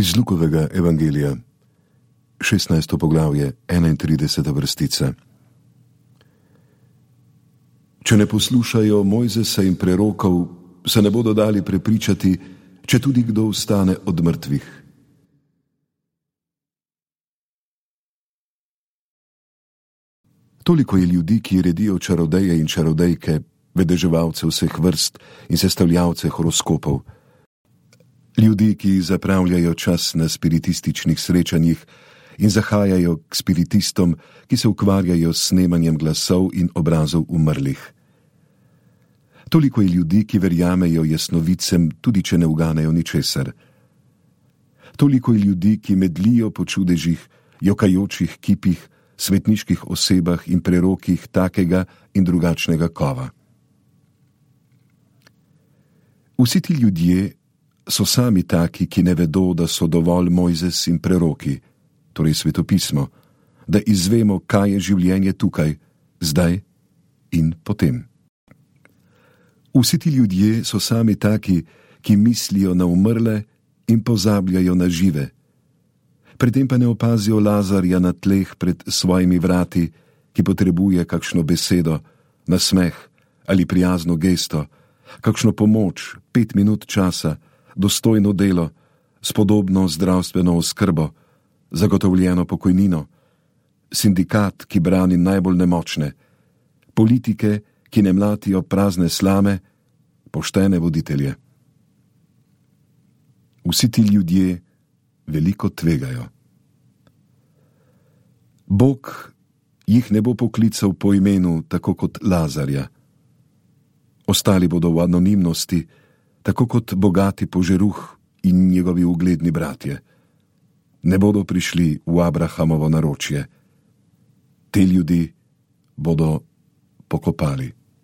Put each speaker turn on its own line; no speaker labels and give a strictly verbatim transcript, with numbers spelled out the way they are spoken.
Iz Lukovega evangelija, šestnajsto poglavje, enaintrideseta vrstica. Če ne poslušajo Mojzesa in prerokov, se ne bodo dali prepričati, če tudi kdo vstane od mrtvih. Toliko je ljudi, ki redijo čarodeje in čarodejke, vedeževalce vseh vrst in sestavljavce horoskopov. Ljudi, ki zapravljajo čas na spiritističnih srečanjih in zahajajo k spiritistom, ki se ukvarjajo s snemanjem glasov in obrazov umrlih. Toliko je ljudi, ki verjamejo jasnovicem, tudi če ne uganejo ničesar. Toliko je ljudi, ki medlijo po čudežih, jokajočih kipih, svetniških osebah in prerokih takega in drugačnega kova. Vsi ti ljudje so sami taki, ki ne vedo, da so dovolj Mojzes in preroki, torej svetopismo, da izvemo, kaj je življenje tukaj, zdaj in potem. Vsi ti ljudje so sami taki, ki mislijo na umrle in pozabljajo na žive. Pri tem pa ne opazijo Lazarja na tleh pred svojimi vrati, ki potrebuje kakšno besedo, nasmeh ali prijazno gesto, kakšno pomoč, pet minut časa, dostojno delo, spodobno zdravstveno oskrbo, zagotovljeno pokojnino, sindikat, ki brani najbolj nemočne, politike, ki ne mlatijo prazne slame, poštene voditelje. Vsi ti ljudje veliko tvegajo. Bog jih ne bo poklical po imenu, tako kot Lazarja. Ostali bodo v anonimnosti, tako kot bogati požeruh in njegovi ugledni bratje. Ne bodo prišli v Abrahamovo naročje. Te ljudi bodo pokopali.